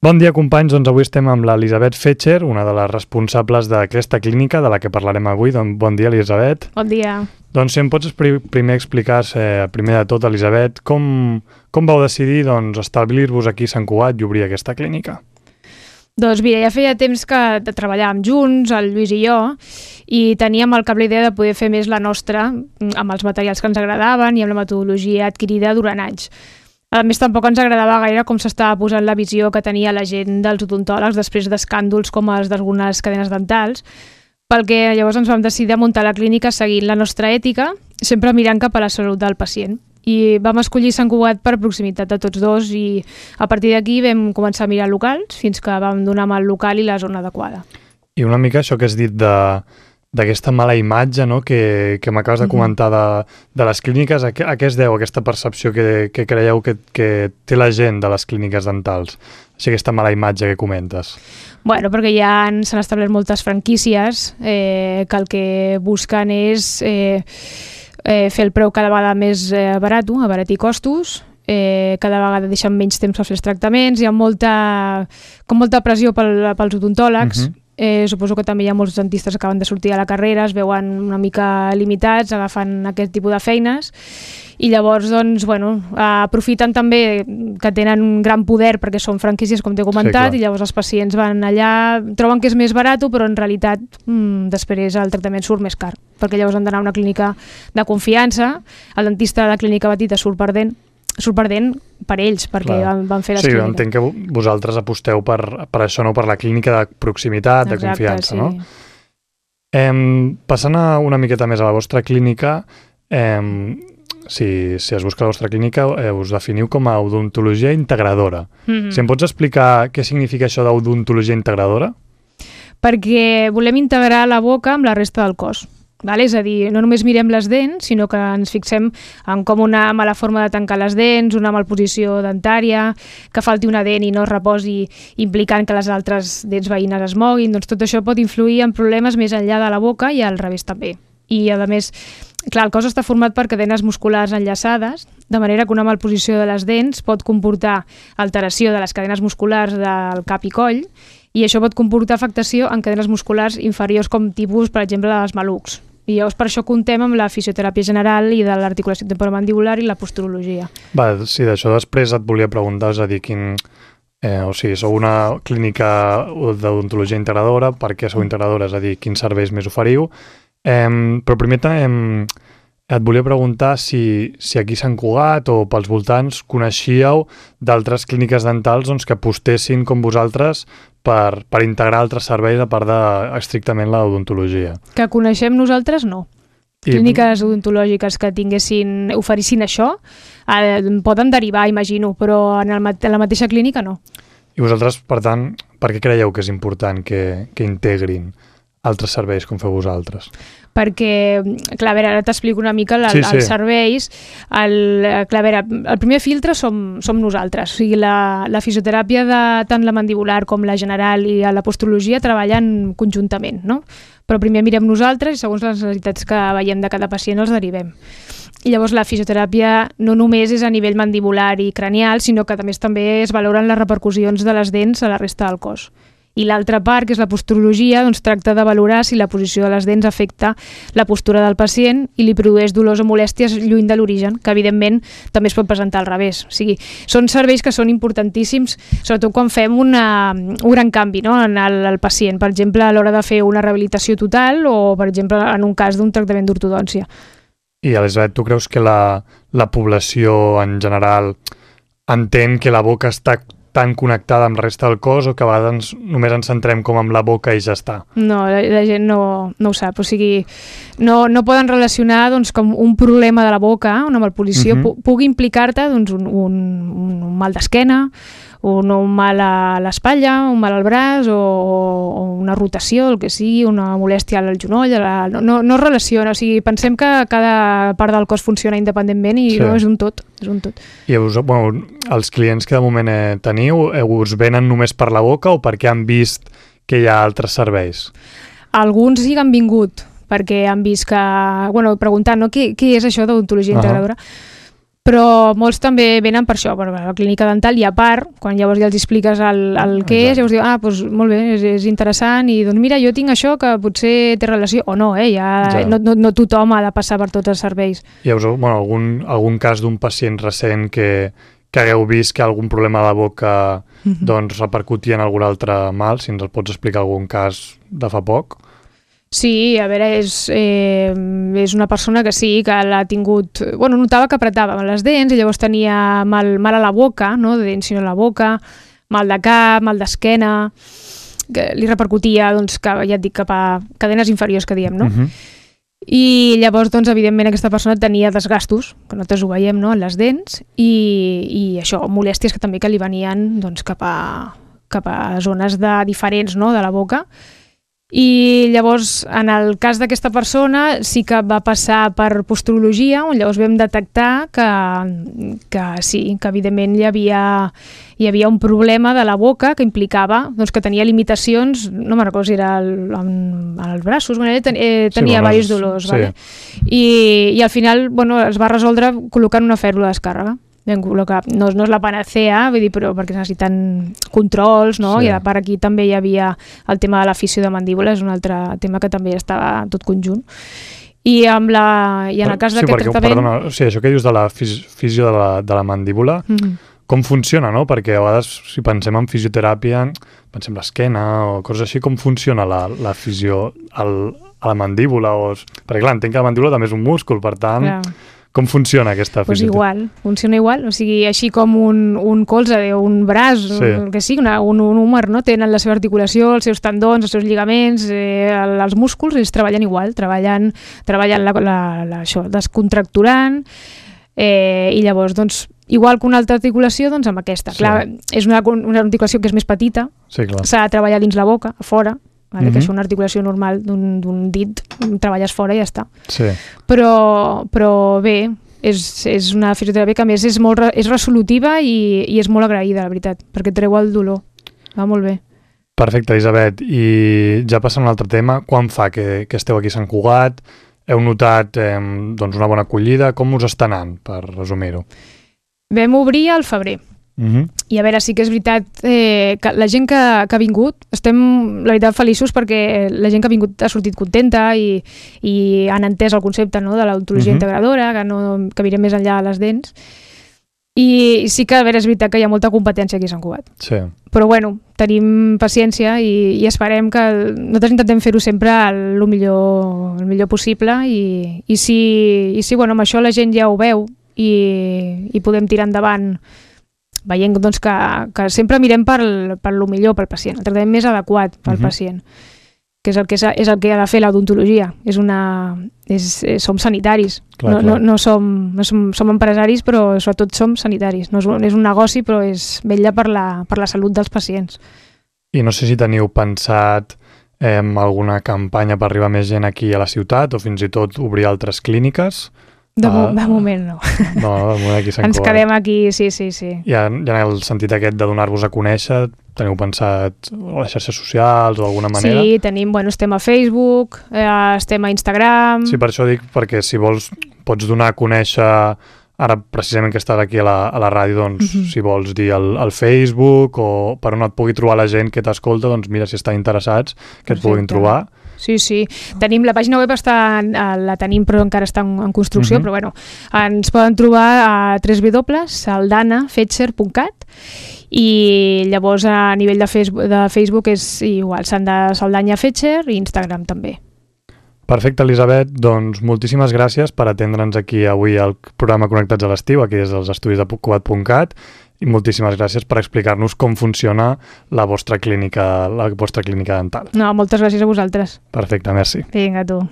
Bon dia, companys. Doncs avui estem amb l'Elisabet Fetcher, una de les responsables d'aquesta clínica de la que parlarem avui. Doncs bon dia, Elisabet. Bon dia. Doncs si em pots primer explicar, primer de tot, Elisabet, com vau decidir establir-vos aquí a Sant Cugat i obrir aquesta clínica? Doncs mira, ja feia temps que treballàvem junts, el Lluís i jo, i teníem al cap la idea de poder fer més la nostra amb els materials que ens agradaven i amb la metodologia adquirida durant anys. A més, tampoc ens agradava gaire com s'estava posant la visió que tenia la gent dels odontòlegs després d'escàndols com els d'algunes cadenes dentals, pel que llavors ens vam decidir a muntar la clínica seguint la nostra ètica, sempre mirant cap a la salut del pacient. I vam escollir Sant Cugat per proximitat de tots dos i a partir d'aquí vam començar a mirar locals fins que vam donar amb el local i la zona adequada. I una mica això que has dit d'aquesta mala imatge, no?, que m'acabes de comentar de les clíniques, a què es deu aquesta percepció que creieu que té la gent de les clíniques dentals? Així aquesta mala imatge que comentes. Bueno, perquè ja s'han establert moltes franquícies que el que busquen és fer el preu cada vegada més barat, abaratir costos, cada vegada deixen menys temps per fer els tractaments, hi ha molta pressió pels odontòlegs. Suposo que també hi ha molts dentistes que acaben de sortir a la carrera, es veuen una mica limitats, agafant aquest tipus de feines i llavors, aprofiten també que tenen un gran poder perquè són franquícies, com t'he comentat, i llavors els pacients van allà, troben que és més barat, però en realitat després el tractament surt més car, perquè llavors han d'anar a una clínica de confiança, el dentista de la clínica petita surt perdent per ells, perquè van fer les clíniques. Sí, entenc que vosaltres aposteu per això, no? Per la clínica de proximitat, de confiança, no? Passant una miqueta més a la vostra clínica, si es busca la vostra clínica, us definiu com a odontologia integradora. Si em pots explicar què significa això d'odontologia integradora? Perquè volem integrar la boca amb la resta del cos. És a dir, no només mirem les dents, sinó que ens fixem en com una mala forma de tancar les dents, una malposició dentària, que falti una dent i no es reposi implicant que les altres dents veïnes es moguin, doncs tot això pot influir en problemes més enllà de la boca i al revés també. I a més, clar, el cos està format per cadenes musculars enllaçades, de manera que una malposició de les dents pot comportar alteració de les cadenes musculars del cap i coll, i això pot comportar afectació en cadenes musculars inferiors com tipus, per exemple, dels malucs. I llavors per això comptem amb la fisioteràpia general i de l'articulació temporomandibular i la posturologia. Sí, d'això després et volia preguntar, és a dir, sou una clínica d'odontologia integradora, per què sou integradora, és a dir, quins serveis més oferiu, però primer et volia preguntar si aquí a Sant Cugat o pels voltants coneixíeu d'altres clíniques dentals que apostessin com vosaltres per integrar altres serveis a part estrictament l'odontologia. Que coneixem nosaltres, no. Clíniques odontològiques que oferissin això poden derivar, imagino, però en la mateixa clínica no. I vosaltres, per tant, per què creieu que és important que integrin altres serveis com feu vosaltres? Perquè, clar, a veure, ara t'explico una mica els serveis. El primer filtre som nosaltres. O sigui, la fisioteràpia de tant la mandibular com la general i la posturologia treballen conjuntament, no? Però primer mirem nosaltres i segons les necessitats que veiem de cada pacient els derivem. I llavors la fisioteràpia no només és a nivell mandibular i cranial, sinó que també es valoren les repercussions de les dents a la resta del cos. I l'altra part, que és la posturologia, tracta de valorar si la posició de les dents afecta la postura del pacient i li produeix dolors o molèsties lluny de l'origen, que evidentment també es pot presentar al revés. O sigui, són serveis que són importantíssims, sobretot quan fem un gran canvi, no?, en el pacient, per exemple, a l'hora de fer una rehabilitació total o, per exemple, en un cas d'un tractament d'ortodòncia. I, Elisabet, tu creus que la població en general entén que la boca està tan connectada amb la resta del cos o que a vegades només ens centrem com amb la boca i ja està? No, la gent no ho sap. O sigui, no poden relacionar com un problema de la boca, una malposició, pugui implicar-te un mal d'esquena, un mal a l'espatlla, un mal al braç o una rotació, el que sigui, una molèstia al genoll, no es relaciona. O sigui, pensem que cada part del cos funciona independentment i no és un tot. I els clients que de moment teniu, us venen només per la boca o perquè han vist que hi ha altres serveis? Alguns sí que han vingut perquè han vist que, preguntant, no, què és això d'odontologia integradora? Però molts també venen per això, per la clínica dental, i a part, quan llavors ja els expliques el què és, llavors diu, doncs molt bé, és interessant, i doncs mira, jo tinc això que potser té relació, o no, no tothom ha de passar per tots els serveis. Hi ha algun cas d'un pacient recent que hagueu vist que algun problema de la boca doncs repercutia en algun altre mal, si ens el pots explicar algun cas de fa poc? Sí, a veure, és una persona que sí, que l'ha tingut... Bueno, notava que apretava les dents i llavors tenia mal a la boca, no de dents sinó a la boca, mal de cap, mal d'esquena, que li repercutia, doncs, que, ja et dic, cap a cadenes inferiors, que diem, no? I llavors, doncs, evidentment, aquesta persona tenia desgastos, que nosaltres ho veiem, no?, en les dents, i això, molèsties que també que li venien, doncs, cap a zones diferents, no?, de la boca. I llavors, en el cas d'aquesta persona, sí que va passar per posturologia, on llavors vam detectar que sí, que evidentment hi havia un problema de la boca que implicava doncs, que tenia limitacions, no me'n recordo si era als braços, tenia diversos dolors. Sí. Vale? I al final es va resoldre col·locant una fèrula de descàrrega. No és la panacea, vull dir, però perquè necessiten controls, no? Sí. I a part aquí també hi havia el tema de la fissió de mandíbula, és un altre tema que també estava tot conjunt. I en el cas d'aquest tractament... Perdona, això que dius de la fissió de la mandíbula, com funciona, no? Perquè a vegades, si pensem en fisioteràpia, pensem l'esquena o coses així, com funciona la fissió a la mandíbula? Perquè clar, entenc que la mandíbula també és un múscul, per tant... Clar. Com funciona aquesta fisioteràpia? Funciona igual, o sigui, així com un colze o un braç, que sigui, un húmer, no? Tenen la seva articulació, els seus tendons, els seus lligaments, els músculs, ells treballen igual, treballen això, descontracturant, i llavors, doncs, igual que una altra articulació, doncs amb aquesta. Sí. Clar, és una articulació que és més petita, s'ha de treballar dins la boca, a fora, vale? Que és una articulació normal d'un dit, treballes fora i ja està. Sí. Però bé, és una fisioteràpia que a més és resolutiva i és molt agraïda, la veritat, perquè treu el dolor. Va molt bé. Perfecte, Elisabet. I ja passant a un altre tema, quan fa que esteu aquí a Sant Cugat? Heu notat doncs una bona acollida? Com us està anant, per resumir-ho? Vam obrir al febrer. I a veure, sí que és veritat que la gent que ha vingut, estem, la veritat, feliços perquè la gent que ha vingut ha sortit contenta i han entès el concepte, no?, de l'odontologia integradora, que mirem més enllà de les dents. I sí que, a veure, és veritat que hi ha molta competència aquí a Sant Cugat. Sí. Però bueno, tenim paciència i esperem que... Nosaltres intentem fer-ho sempre el millor possible i si bueno, amb això la gent ja ho veu i podem tirar endavant veient doncs, que sempre mirem per lo millor pel pacient, el tractament més adequat pel pacient, que és el que ha de fer l'odontologia. Som sanitaris, no som empresaris, però sobretot som sanitaris. No és un negoci, però és vetllar per la salut dels pacients. I no sé si teniu pensat alguna campanya per arribar més gent aquí a la ciutat o fins i tot obrir altres clíniques? De moment no. No, de moment aquí a Sant Cugat. Ens quedem aquí, sí. I en el sentit aquest de donar-vos a conèixer, teniu pensat a les xarxes socials o d'alguna manera? Sí, estem a Facebook, estem a Instagram... Sí, per això dic, perquè si vols pots donar a conèixer, ara precisament que estàs aquí a la ràdio, doncs si vols dir al Facebook o per on et pugui trobar la gent que t'escolta, doncs mira, si estan interessats, que et puguin trobar. Sí. Tenim la pàgina web, la tenim però encara està en construcció, però bueno, ens poden trobar a www.saldanafetcher.cat i llavors a nivell de Facebook és igual, Saldanya Fetcher i Instagram també. Perfecte, Elisabet, doncs moltíssimes gràcies per atendre'ns aquí avui al programa Connectats a l'estiu, aquí des dels estudis de Cugat.cat, i moltíssimes gràcies per explicar-nos com funciona la vostra clínica dental. No, moltes gràcies a vosaltres. Perfecte, merci. Vinga, tu.